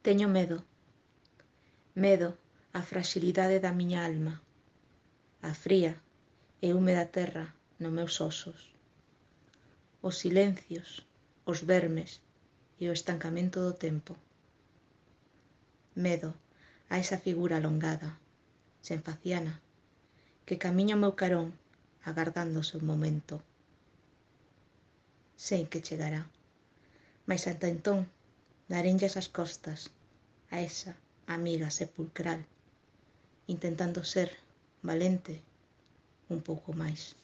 Teño medo, medo á fraxilidade da miña alma, á fría e húmeda terra nos meus osos, os silencios, os vermes e o estancamento do tempo. Medo a esa figura alongada, sen faciana, que camiña ao meu carón agardando o seu momento. Sei que chegará, mais ata entón darenlles as costas a esa amiga sepulcral, intentando ser valente un pouco máis.